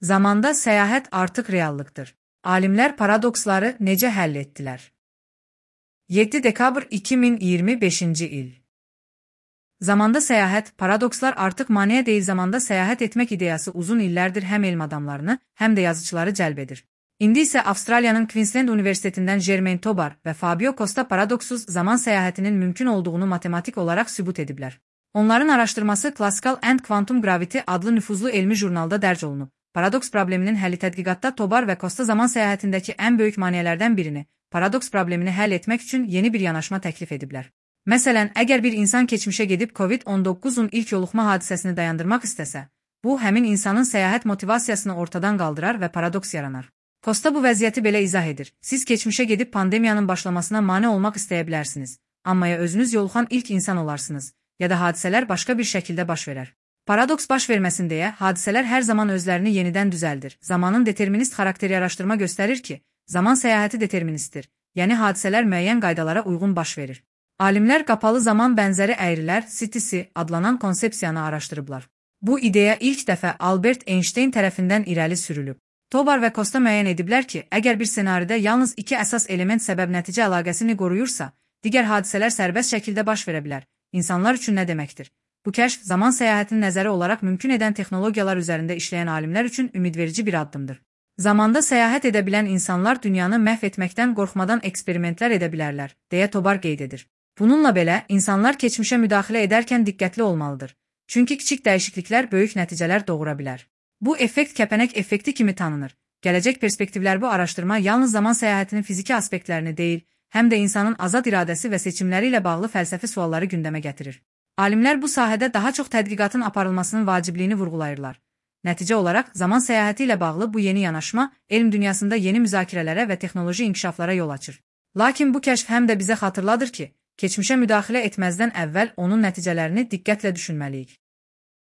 Zamanda səyahət artıq reallıqdır. Alimlər paradoksları necə həll etdilər? 7 dekabr 2025-ci il. Zamanda səyahət, paradokslar artıq maneə deyil. Zamanda səyahət etmək ideyası uzun illərdir həm elm adamlarını, həm də yazıçıları cəlb edir. İndi isə Avstraliyanın Queensland Universitetindən Germain Tobar və Fabio Costa paradoksuz zaman səyahətinin mümkün olduğunu matematik olaraq sübut ediblər. Onların araşdırması Classical and Quantum Gravity adlı nüfuzlu elmi jurnalda dərc olunub. Paradoks probleminin həlli tədqiqatda Tobar və Costa zaman səyahətindəki ən böyük maneələrdən birini, paradoks problemini həll etmək üçün yeni bir yanaşma təklif ediblər. Məsələn, əgər bir insan keçmişə gedib COVID-19-un ilk yoluxma hadisəsini dayandırmaq istəsə, bu, həmin insanın səyahət motivasiyasını ortadan qaldırar və paradoks yaranar. Costa bu vəziyyəti belə izah edir. Siz keçmişə gedib pandemiyanın başlamasına mane olmaq istəyə bilərsiniz, amma ya özünüz yoluxan ilk insan olarsınız, ya da hadisələr başqa bir şəkildə baş verər. Paradoks baş verməsin deyə, hadisələr hər zaman özlərini yenidən düzəldir. Zamanın determinist xarakteri araşdırma göstərir ki, zaman səyahəti deterministdir, yəni hadisələr müəyyən qaydalara uyğun baş verir. Alimlər qapalı zaman bənzəri əyrilər, CTC adlanan konsepsiyanı araşdırıblar. Bu ideya ilk dəfə Albert Einstein tərəfindən irəli sürülüb. Tobar və Costa müəyyən ediblər ki, əgər bir ssenaridə yalnız iki əsas element səbəb-nəticə əlaqəsini qoruyursa, digər hadisələr sərbəst şəkildə baş verə bilər. İnsanlar üçün nə deməkdir? Bu kəşf, zaman səyahətini nəzəri olaraq mümkün edən texnologiyalar üzərində işləyən alimlər üçün ümidverici bir addımdır. Zamanda səyahət edə bilən insanlar dünyanı məhv etməkdən qorxmadan eksperimentlər edə bilərlər, deyə Tobar qeyd edir. Bununla belə, insanlar keçmişə müdaxilə edərkən diqqətli olmalıdır. Çünki kiçik dəyişikliklər böyük nəticələr doğura bilər. Bu effekt kəpənək effekti kimi tanınır. Gələcək perspektivlər bu araşdırma yalnız zaman səyahətinin fiziki aspektlərini deyil, həm də insanın azad iradəsi və seçimləri ilə bağlı fəlsəfi sualları gündəmə gətirir. Alimlər bu sahədə daha çox tədqiqatın aparılmasının vacibliyini vurğulayırlar. Nəticə olaraq, zaman səyahəti ilə bağlı bu yeni yanaşma, elm dünyasında yeni müzakirələrə və texnoloji inkişaflara yol açır. Lakin bu kəşf həm də bizə xatırladır ki, keçmişə müdaxilə etməzdən əvvəl onun nəticələrini diqqətlə düşünməliyik.